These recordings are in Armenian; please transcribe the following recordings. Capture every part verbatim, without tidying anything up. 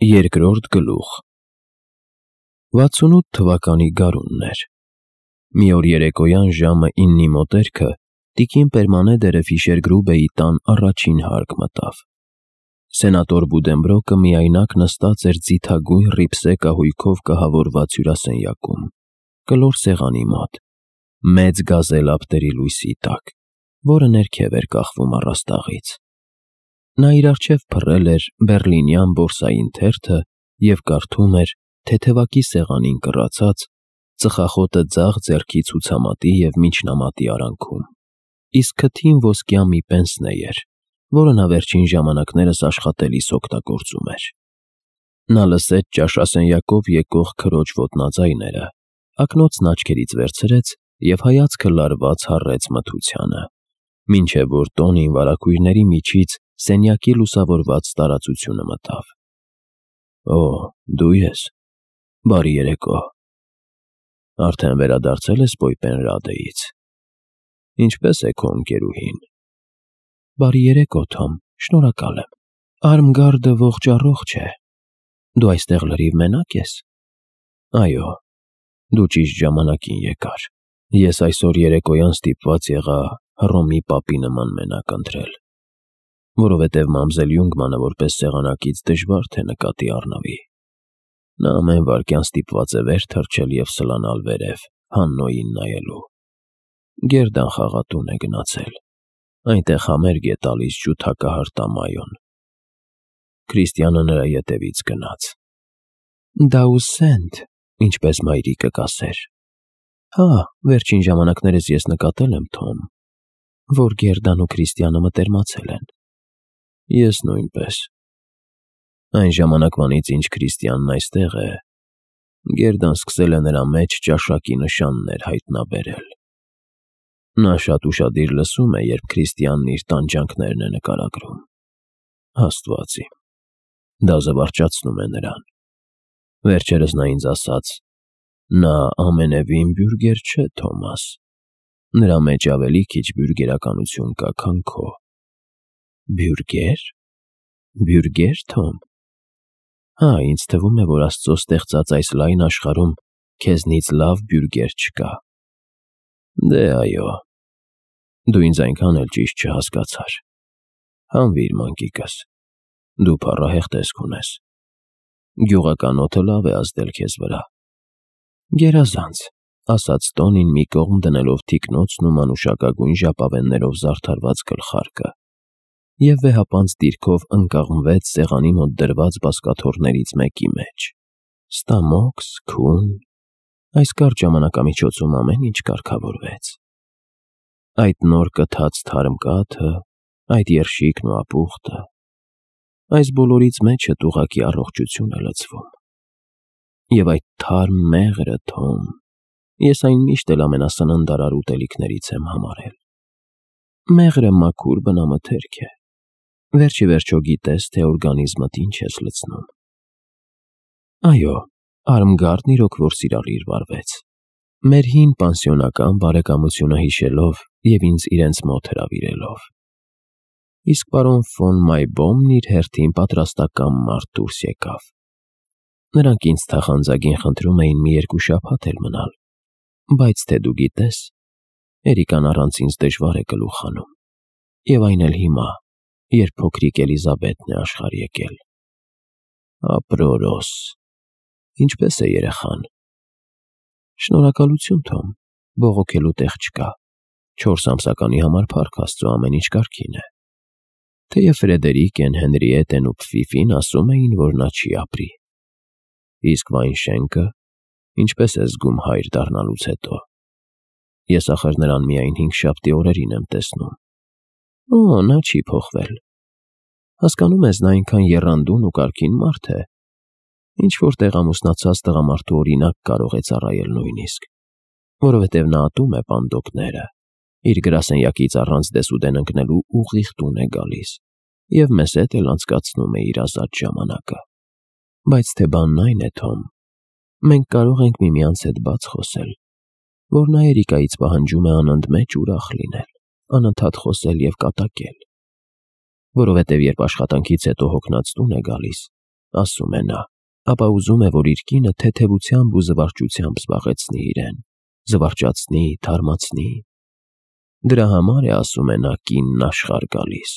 Երկրորդ գլուխ վաթսունութ թվականի գարունն էր։ Մի օր երեկոյան ժամը իննի մոտերքը տիկին Պերմանեդերը Ֆիշերգրուբեի տան առաջին հարկ մտավ։ Սենատոր Բուդենբրոկը միայնակ նստած էր ձիթագույն ռիփսե կահույքով կահավորված հյուրասենյակում, կլոր սեղանի մոտ, մեծ գազել ափտերի լույսի տակ, որը ներքև էր կախվում առաստաղից։ Նա իր առջև փռել էր բեռլինյան բորսային թերթը և կարդում էր թեթևակի սեղանին կռացած, ծխախոտը ձախ ձեռքի ցուցամատի և միջնամատի արանքում, իսկ քթին ոսկյա մի պենսնե էր, որը նա վերջին ժամանակներս աշխատելիս օգտագործում էր։ Նա լսեց ճաշասենյակով եկող քրոջ ոտնաձայները, ակնոցն աչքերից վերցրեց և հայացքը լարված հառեց մթությանը, մինչև որ տոնին վարագույրների միջից սենյակի լուսավորված տարածությունը մտավ։ Օ, դու ես, բարի երեկո, արդեն վերադարձել ես Պոյպենրադեից, ինչպե՞ս է քո ընկերուհին։ Բարի երեկո, Թոմ, շնորհակալ եմ, Արմգարդը ողջ առողջ է, դու այստեղ լրիվ մենակ ես։ Այո, դու ճիշտ ժամանակին եկար, ես այսօր երեկոյան ստիպված եղա Հռոմի պապի նման մենակ ընտրել, որովհետև մամզել Յունգմանը որպես սեղանակից դժվար թե նկատի առնվի։ Նա ամեն վայրկյան ստիպված է վեր թռչել և սլանալ վերև, Հաննոյին նայելու։ Գերդան խաղատուն է գնացել, այնտեղ համերգ է տալիս ջութակահար Տամայոն։ Քրիստիանը նրա ետևից գնաց։ Դաուսենտ, ինչպես մայրիկը կասեր։ Հա, վերջին ժամանակներս ես նկատել եմ, Թոմ, որ Գերդան ու Քրիստիանը մտերմացել են։ Ես նույնպես։ Այն ժամանակվանից, ինչ Քրիստիանն այստեղ է, Գերդան սկսել է նրա մեջ ճաշակի նշաններ հայտնաբերել։ Նա շատ ուշադիր լսում է, երբ Քրիստիանն իր տանջանքներն է նկարագրում։ Աստված իմ, դա զվարճացնում է նրան։ Վերջերս նա ինձ ասաց. նա ամենևին բյուրգեր չէ, Թոմաս, նրա մեջ ավելի քիչ բյուրգերականություն կա, քան քո։ Բյուրգե՞ր, բյուրգե՞ր, Թոմ։ Հա, ինձ թվում է, որ Աստծո ստեղծած այս լայն աշխարհում քեզնից լավ բյուրգեր չկա։ Դե այո, դու ինձ այնքան էլ ճիշտ չհասկացար։ Հանվիր, մանկիկս, դու փառահեղ տեսք ունես։ Գյուղական օդը լավ է ազդել քեզ վրա։ Գերազանց, ասաց տոնին մի կողմ դնելով թիկնոցն ու մանուշակագույն ժապավեններով զարդարված գլխարկը, և վեհապանծ դիրքով ընկղմվեց սեղանի մոտ դրված բազկաթոռներից մեկի մեջ։ Ստամոքս, քուն, այս կարճ ժամանակամիջոցում ամեն ինչ կարգավորվեց։ Այդ նոր կթած թարմ կաթը, այդ երշիկն ու ապուխտը, այս բոլորից մեջդ ուղղակի առողջություն է լցվում։ Եվ այդ թարմ մեղրը, Թոմ, ես այն միշտ էլ ամենասննդարար ուտելիքներից եմ համարել։ Մեղրը մաքուր բնամթերք է, վերջիվերջո գիտես, թե օրգանիզմդ ինչ ես լցնում։ Այո, Արմգարդն իրոք որ սիրալիր վարվեց, մեր հին պանսիոնական բարեկամությունը հիշելով և ինձ իրենց մոտ հրավիրելով։ Իսկ պարոն ֆոն Մայբոմն իր հերթին պատրաստական մարդ դուրս եկավ։ Նրանք ինձ թախանձագին խնդրում էին մի երկու շաբաթ էլ մնալ, բայց թե դու գիտես, Էրիկան առանց ինձ դժվար է գլուխ հանում, և այն էլ հիմա, երբ փոքրիկ Էլիզաբեթն է աշխարհ եկել։ Ապրորոս, ինչպե՞ս է երեխան։ Շնորհակալություն, Թոմ, բողոքելու տեղ չկա, չորս ամսականի համար փառք Աստծո, ամեն ինչ կարգին է։ Թեև Ֆրեդերիկեն, Հենրիետեն ու Փֆիֆին ասում էին, որ նա չի ապրի։ Իսկ Վայնշենկը ինչպես է զգում հայր դառնալուց հետո։ Ես ախր նրան միայն հինգշաբթի օրերին եմ տեսնում։ Օ, նա չի փոխվել։ Հասկանում ես, նա այնքան եռանդուն ու կարգին մարդ է, ինչ-որ տեղ ամուսնացած տղամարդու օրինակ կարող է ծառայել նույնիսկ, որովհետև նա ատում է պանդոկները, իր գրասենյակից առանց դեսուդեն ընկնելու ուղիղ տուն է գալիս և մեզ հետ էլ անցկացնում է իր ազատ ժամանակը։ Բայց թե բանն այն է, Թոմ, մենք կարող ենք միմյանց հետ բաց խոսել, որ նա Էրիկայից պահանջում է անընդմեջ ուրախ լինել, անընդհատ խոսել և կատակել, որովհետև երբ աշխատանքից հետո հոգնած տուն է գալիս, ասում է նա, ապա ուզում է, որ իր կինը թեթևությամբ ու զվարճությամբ զբաղեցնի իրեն, զվարճացնի, թարմացնի։ Դրա համար է, ասում է նա, կինն աշխարհ գալիս։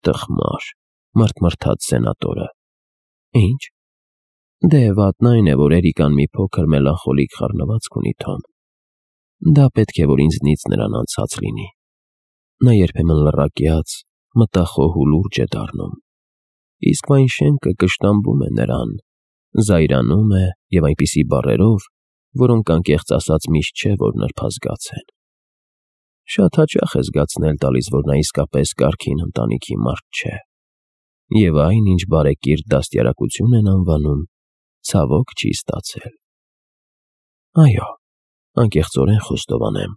Տխմար, մռթմռթաց սենատորը։ Ինչ։ Դե վատն այն է, որ Էրիկան մի փոքր մելանխոլիկ խառնվածք ունի, Թոմ։ Դա պետք է, որ ինձնից նրան անցած լինի։ Նա երբեմն լռակյաց, մտախոհ ու լուրջ է դառնում, իսկ այն շենքը կշտամբում է նրան, զայրանում է և այնպիսի բառերով, որոնք անկեղծ ասած միշտ չէ, որ նրբազգաց են։ Շատ հաճախ է զգացնել տալիս, որ նա իսկապես կարգին ընտանիքի մարդ չէ, և այն, ինչ բարեկիրթ դաստիարակություն են անվանում, ցավոք չի ստացել։ Այո, անկեղծորեն խոստովանեմ,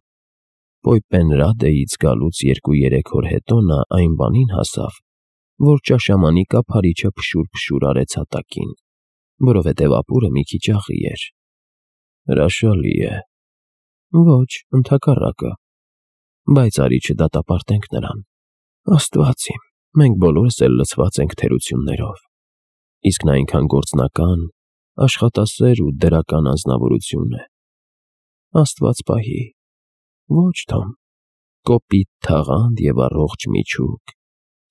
Պոյպենրադեից գալուց երկու-երեք օր հետո նա այն բանին հասավ, որ ճաշամանի կափարիչը փշուր-փշուր արեց հատակին, որովհետև ապուրը մի քիչ աղի էր։ Հրաշալի է։ Ոչ, ընդհակառակը։ Բայց արի չդատապարտենք նրան։ Աստված իմ, մենք բոլորս էլ լցված ենք թերություններով։ Իսկ նա այնքան գործնական, աշխատասեր ու դրական անձնավորություն է։ Աստված պահի։ Ոչ, Թոմ, կոպիտ թաղանթ և առողջ միջուկ,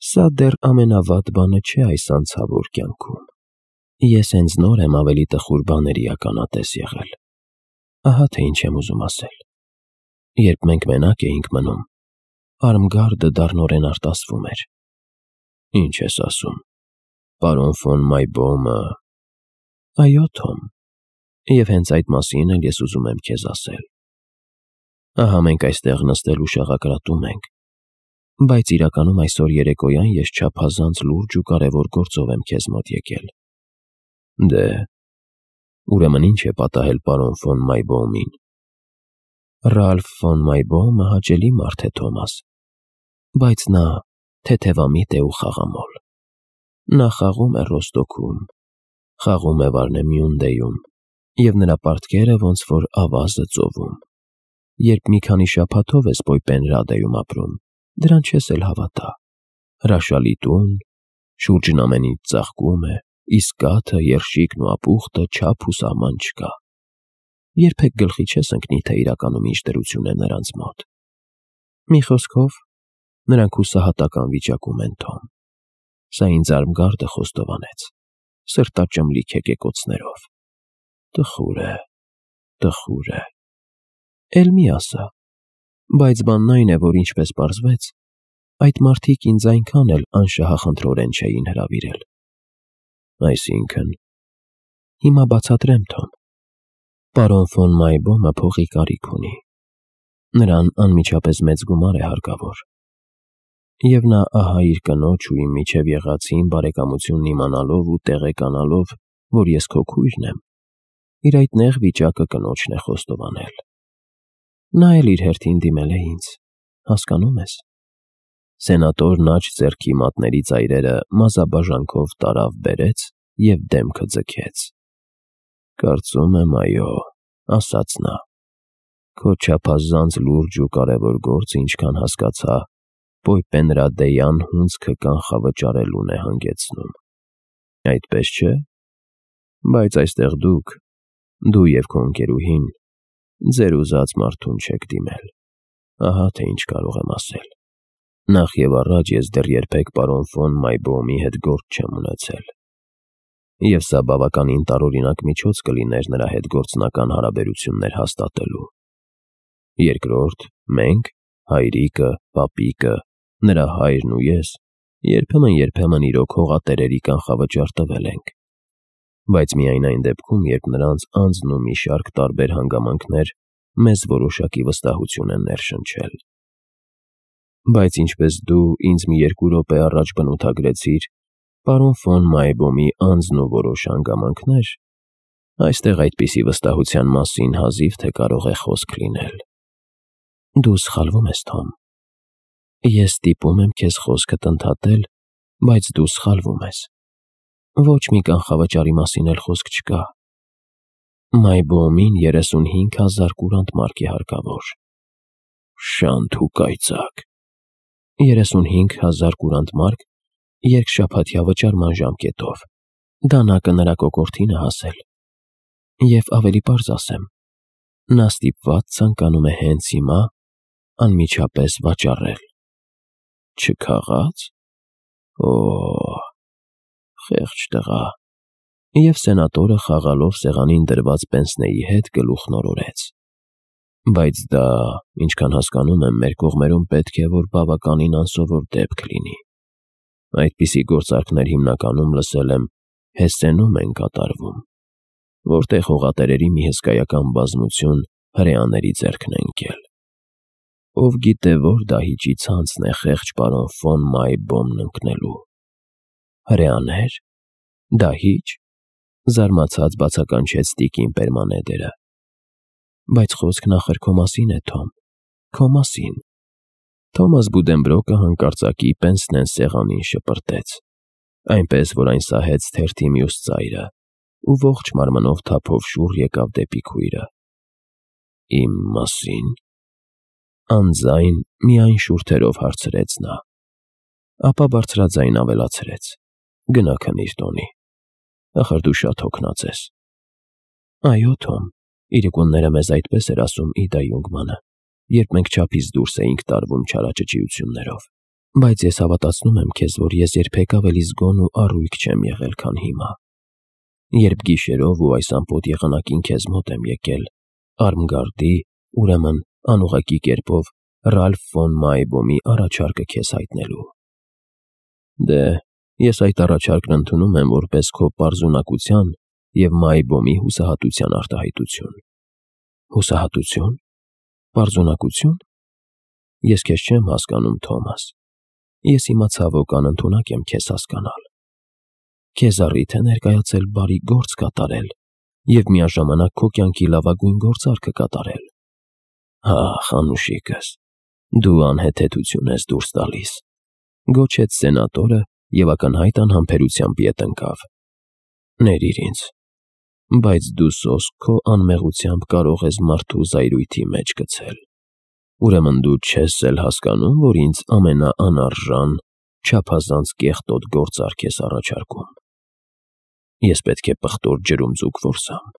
սա դեռ ամենավատ բանը չէ այս անցավոր կյանքում։ Ես հենց նոր եմ ավելի տխուր բաների ականատես եղել։ Ահա թե ինչ եմ ուզում ասել։ Երբ մենք մենակ էինք մնում, Արմգարդը դառնորեն արտասվում էր։ Ինչ ես ասում, պարոն ֆոն Մայբոհմը։ Այո, Թոմ, և հենց այդ մասին էլ ես ուզում եմ քեզ ասել։ Ահա մենք այստեղ նստել ու շաղակրատում ենք, բայց իրականում այսօր երեկոյան ես չափազանց լուրջ ու կարևոր գործով եմ քեզ մոտ եկել։ Դե, ուրեմն ինչ է պատահել պարոն ֆոն Մայբոհմին։ Ռալֆ ֆոն Մայբոհմը հաճելի մարդ է, Թոմաս, բայց նա թեթևամիտ է ու խաղամոլ։ Նա խաղում է Ռոստոքում, խաղում է Վարնեմյունդեում, և նրա պարտքերը ոնց որ ավազը ծովում։ Երբ մի քանի շաբաթով ես Պոյպենրադեում ապրում, դրան չես էլ հավատա։ Հրաշալի տուն, շուրջն ամեն ինչ ծաղկում է, իսկ կաթը, երշիկն ու ապուխտը չափ ու սահման չկա։ Երբեք գլխի չես ընկնի, թե իրականում ինչ դրություն է նրանց մոտ։ Մի խոսքով, նրանք հուսահատական վիճակում են, Թոմ։ Սա ինձ Արմգարդը խոստովանեց, սրտաճմլիկ հեկեկոցներով։ Տխուր է, տխուր է։ Էլ մի ասա, բայց բանն այն է, որ ինչպես պարզվեց, այդ մարդիկ ինձ այնքան էլ անշահախնդրորեն չէին հրավիրել։ Այսինքն, հիմա բացատրեմ, Թոմ։ Պարոն ֆոն Մայբոհմը փողի կարիք ունի։ Նրան անմիջապես մեծ գումար է հարկավոր։ Եվ նա ահա իր կնոջ ու իմ միջև եղածին բարեկամությունն իմանալով ու տեղեկանալով, որ ես քո քույրն եմ, իր այդ նեղ վիճակը կնոջն է խոստովանել։ Նա էլ իր հերթին դիմել է ինձ, հասկանում ես։ Սենատորն աջ ձեռքի մատների ծայրերը մազաբաժանքով տարավ բերեց և դեմքը ձգեց։ Կարծում եմ, այո, ասաց նա, քո չափազանց լուրջ ու կարևոր գործը, ինչքան հասկացա, Պոյպենրադեյան հունձքը կանխավճարելուն է հանգեցնում։ Այդպես չէ։ Բայց այստեղ դուք, դու և քո ընկերուհին, ձեր ուզած մարդուն չեք դիմել։ Ահա թե ինչ կարող եմ ասել։ Նախ և առաջ ես դեռ երբեք պարոն ֆոն Մայբոհմի հետ գործ չեմ ունեցել։ Եվ սա բավականին տարօրինակ միջոց կլիներ նրա հետ գործնական հարաբերություններ հաստատելու։ Երկրորդ, մենք, հայրիկը, պապիկը, նրա հայրն ու ես, երբեմն-երբեմն իրոք հողատերերի կանխավճար տվել ենք։ Բայց միայն այն դեպքում, երբ նրանց անձն ու մի շարք տարբեր հանգամանքներ մեզ որոշակի վստահություն են ներշնչել։ Բայց ինչպես դու ինձ մի երկու րոպե առաջ բնութագրեցիր պարոն ֆոն Մայբոհմի անձն ու որոշ հանգամանքներ, այստեղ այդպիսի վստահության մասին հազիվ թե կարող է խոսք լինել։ Դու սխալվում ես, Թոմ։ Ես ստիպում եմ քեզ խոսքդ ընդհատել, բայց դու սխալվում ես։ Ոչ մի կանխավճարի մասին էլ խոսք չկա։ Մայբոհմին երեսունհինգ հազար կուրանտ մարկ է հարկավոր։ Շանթ ու կայծակ։ երեսունհինգ հազար կուրանտ մարկ երկշաբաթյա վճարման ժամկետով։ դանակը նրա կոկորդին է հասել։ Եվ ավելի պարզ ասեմ, նա ստիպված ցանկանում է հենց հիմա անմիջապես վաճառել։ Չքաղաց։ Օ, խեղճ տղա։ Եվ սենատորը խաղալով սեղանին դրված պենսնեի հետ գլուխն օրորեց։ Բայց դա, ինչքան հասկանում եմ, մեր կողմերում պետք է որ բավականին անսովոր դեպք լինի։ Այդպիսի գործարքներ հիմնականում լսել եմ Հեսենում են կատարվում, որտեղ հողատերերի մի հսկայական բազմություն հրեաների ձեռքն է ընկել։ Ով գիտե որ դահիճի ցանցն է խեղճ պարոն ֆոն Մայբոմն ընկնելու։ Հրեաներ։ Դահիճ։ Զարմացած բացականչեց տիկին Պերմանեդերը։ Բայց խոսքն ախր քո մասին է, Թոմ, քո մասին։ Թոմաս Բուդենբրոկը հանկարծակի պենսնեն սեղանին շպրտեց, այնպես որ այն սահեց թերթի մյուս ծայրը, ու ողջ մարմնով թափով շուռ եկավ դեպի քույրը։ Իմ մասին։ Անձայն միայն շուրթերով հարցրեց նա։ Ապա բարձրաձայն ավելացրեց. Գնա քնիր տոնի։ Ախր դու շատ հոգնած ես։ Այո, Թոմ, իրիկունները մեզ այդպես էր ասում Իդա Յունգմանը, երբ մենք չափից դուրս էինք տարվում չարաճճիություններով, բայց ես հավատացնում եմ քեզ, որ ես երբեք ավելի զգոն ու առույգ չեմ եղել, քան հիմա։ Երբ գիշերով ու այս ամպոտ եղանակին քեզ մոտ եմ եկել, Արմգարդի, ուրեմն անուղղակի կերպով Ռալֆ ֆոն Մայբոմի առաջարկը քեզ հայտնելու։ Դե, ես այդ առաջարկն ընդունում եմ որպես քո պարզունակության և Մայբոմի հուսահատության արտահայտություն։ Հուսահատություն։ Պարզունակություն։ Ես քեզ չեմ հասկանում, Թոմաս։ Ես հիմա ցավոք անընդունակ եմ քեզ հասկանալ։ Քեզ առիթ է ներկայացել բարի գործ կատարել և միաժամանակ քո կյանքի լավագույն գործարքը կատարել։ Ահ, անուշիկս, դու անհեթեթություն ես դուրս տալիս, գոչեց սենատորը և ակնհայտ անհամբերությամբ ետ ընկավ։ Ներիր ինձ, բայց դու սոսկ քո անմեղությամբ կարող ես մարդու զայրույթի մեջ գցել։ Ուրեմն դու չես էլ հասկանում, որ ինձ ամենաանարժան, չափազանց կեղտոտ գործարք ես առաջարկում։ Ես պետք է պղտոր ջրում ձուկ որսամ։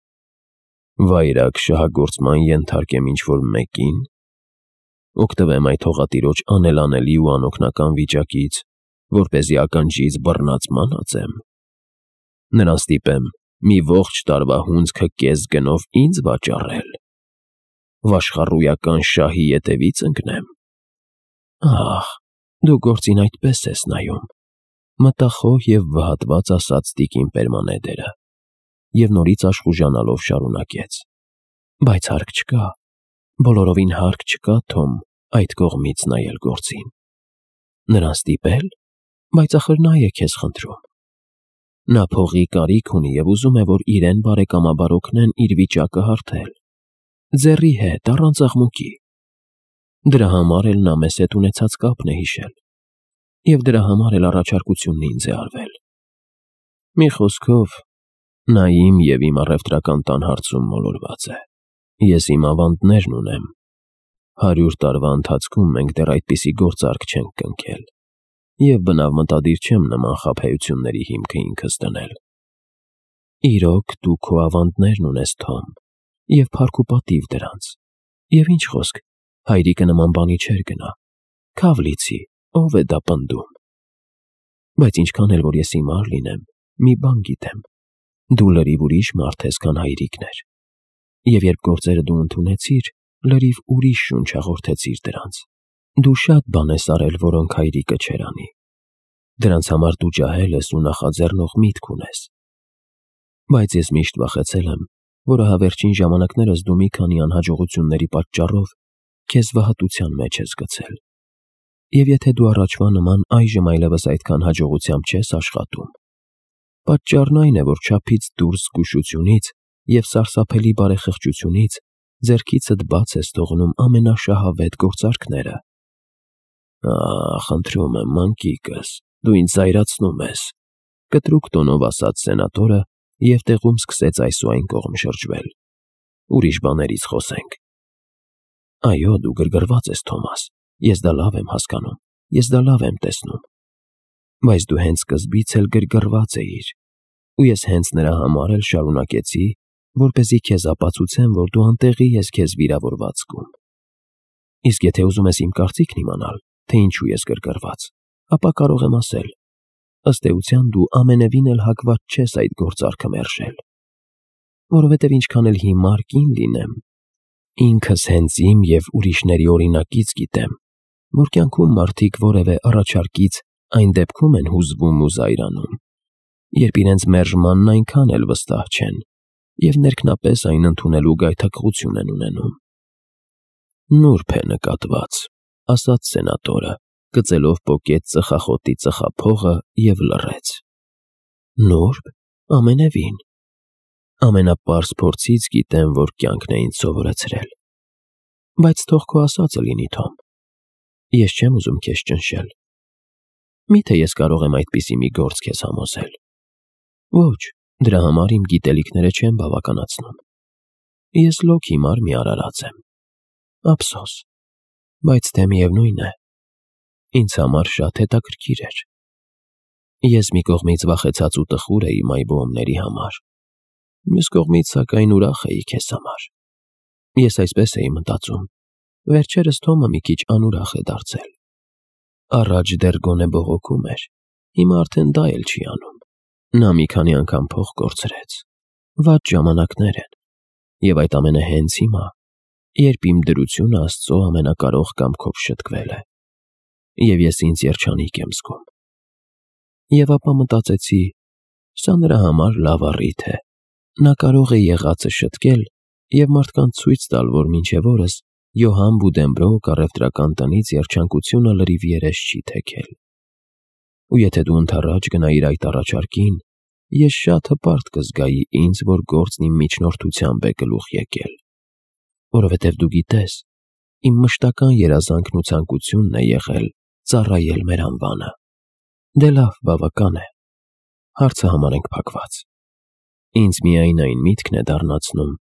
Վայրագ շահագործման ենթարկեմ ինչ-որ մեկին, օգտվեմ այդ հողատիրոջ անելանելի ու անօգնական վիճակից, որպեսզի ականջից բռնած մանածեմ։ Նրան ստիպեմ մի ողջ տարվա հունձքը կես գնով ինձ վաճառել։ Վաշխառույական շահի ետևից ընկնեմ։ Ահ, դու գործին այդպես ես նայում, մտախոհ և վհատված ասաց տիկին Պերմանեդերը, և նորից աշխուժանալով շարունակեց. Բայց հարկ չկա, բոլորովին հարկ չկա, Թոմ, այդ կողմից նայել գործին։ Նրան ստիպել, բայց ախր նա է քեզ խնդրում։ Նա փողի կարիք ունի և ուզում է, որ իրեն բարեկամաբար օգնեն իր վիճակը հարթել։ Ձեռի հետ, առանց աղմուկի։ Դրա համար էլ նա մեզ հետ ունեցած կապն է հիշել, և դրա համար էլ առաջարկությունն ինձ է արվել։ Մի խոսքով, նա իմ և իմ առևտրական տան հարցում մոլորված է։ Ես իմ ավանդներն ունեմ։ Հարյուր տարվա ընթացքում մենք դեռ այդպիսի գործարք չենք կնքել, և բնավ մտադիր չեմ նման խաբեությունների հիմքը ինքս դնել։ Իրոք, դու քո ավանդներն ունես, Թոմ, և փառք ու պատիվ դրանց, և ինչ խոսք, հայրիկը նման բանի չէր գնա, քավ լիցի, ով է դա պնդում։ Բայց ինչքան էլ որ ես հիմար լինեմ, մի բան գիտեմ, դու լրիվ ուրիշ մարդ ես, քան հայրիկն էր, և երբ գործերը դու ընդունեցիր, լրիվ ուրիշ շունչ հաղորդեցիր դրանց։ Դու շատ բան ես արել, որոնք հայրիկը չէր անի։ Դրանց համար դու ջահել ես ու նախաձեռնող միտք ունես։ Բայց ես միշտ վախեցել եմ, որ ահավերջին ժամանակներս դու մի քանի անհաջողությունների պատճառով քեզ վհատության մեջ ես գցել։ Եվ եթե դու առաջվա նման այժմ այլևս այդքան հաջողությամբ չես աշխատում, պատճառն այն է, որ չափից դուրս զգուշությունից և սարսափելի բարեխղճությունից ձեռքիցդ բաց ես թողնում ամենաշահավետ գործարքները։ Ահ, խնդրում եմ, մանկիկս, դու ինձ զայրացնում ես, կտրուկ տոնով ասաց սենատորը և տեղում սկսեց այս ու այն կողմ շրջվել։ Ուրիշ բաներից խոսենք։ Այո, դու գրգռված ես, Թոմաս, ես դա լավ եմ հասկանում, ես դա լավ եմ տեսնում։ Բայց դու հենց սկզբից էլ գրգռված էիր, ու ես հենց նրա համար էլ շարունակեցի, որպեսզի քեզ ապացուցեմ, որ դու անտեղի ես քեզ վիրավորված զգում։ Իսկ եթե ուզում ես իմ կարծիքն իմանալ, թե ինչու ես գրգռված, ապա կարող եմ ասել. ըստ էության դու ամենևին էլ հակված չես այդ գործարքը մերժել, որովհետև ինչքան էլ հիմար կին լինեմ, ինքս հենց իմ և ուրիշների օրինակից գիտեմ, որ կյանքում մարդիկ որևէ առաջարկից այն դեպքում են հուզվում ու զայրանում, երբ իրենց մերժմանն այնքան էլ վստահ չեն և ներքնապես այն ընդունելու գայթակղություն են ունենում։ Նուրբ է նկատված, ասաց սենատորը, գծելով պոկեց ծխախոտի ծխափողը և լռեց։ Նուրբ, ամենևին։ Ամենապարզ փորձից գիտեմ, որ կյանքն է ինձ սովորեցրել։ Բայց թող քո ասածը լինի, Թոմ։ Ես չեմ ուզում քեզ ճնշել։ Միթե ես կարող եմ այդպիսի մի գործ քեզ համոզել։ Ոչ, դրա համար իմ գիտելիքները չեն բավականացնում։ Ես լոկ հիմար մի արարած եմ։ Ափսոս, բայց թե միևնույն է, ինձ համար շատ հետաքրքիր էր։ Ես մի կողմից վախեցած ու տխուր էի մայրբոհումների համար, մյուս կողմից սակայն ուրախ էի քեզ համար։ Ես այսպես էի մտածում, վերջերս Թոմը մի քիչ անուրախ է դարձել։ Առաջ դեռ գոնե բողոքում էր, հիմա արդեն դա էլ չի անում։ Նա մի քանի անգամ փող կորցրեց։ Վատ ժամանակներ են, և այդ ամենը հենց հիմա, երբ իմ դրությունը Աստծո ամենակարող կամքով շտկվել է, և ես ինձ երջանիկ եմ զգում։ Եվ ապա մտածեցի, սա նրա համար լավ առիթ է։ Նա կարող է եղածը շտկել և մարդկանց ցույց տալ, որ մինչև օրս Յոհան Բուդենբրոկ առևտրական տնից երջանկությունը լրիվ երես չի թեքել։ Ու եթե դու ընդառաջ գնայիր այդ առաջարկին, ես շատ հպարտ կզգայի ինձ, որ գործն իմ միջնորդությամբ է գլուխ եկել, որովհետև դու գիտես, իմ մշտական երազանքն ու ցանկությունն է եղել ծառայել մեր անվանը։ Դե լավ, բավական է, հարցը համարենք փակված։ Ինձ միայն այն միտքն է դառնացնում,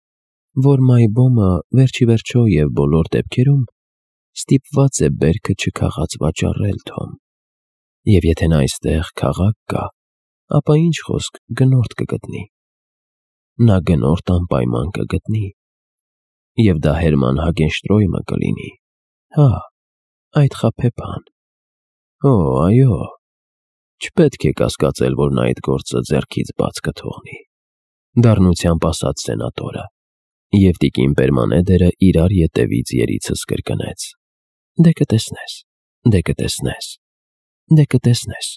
որ Մայբոմը վերջիվերջո և բոլոր դեպքերում ստիպված է բերքը չքաղած վաճառել, Թոմ, և եթե նա այստեղ քաղաք կա, ապա ինչ խոսք գնորդ կգտնի։ Նա գնորդ անպայման կգտնի, և դա Հերման Հագենշտրոյմը կլինի, հա, այդ խաբեբան։ Օ, այո, չպետք է կասկածել, որ նա այդ գործը ձեռքից բաց կթողնի, դառնությամբ ասաց սենատորը, և տիկին Պերմանեդերը իրար ետևից երիցս կրկնեց. Դե կտեսնես, դե կտեսնես, դե կտեսնես։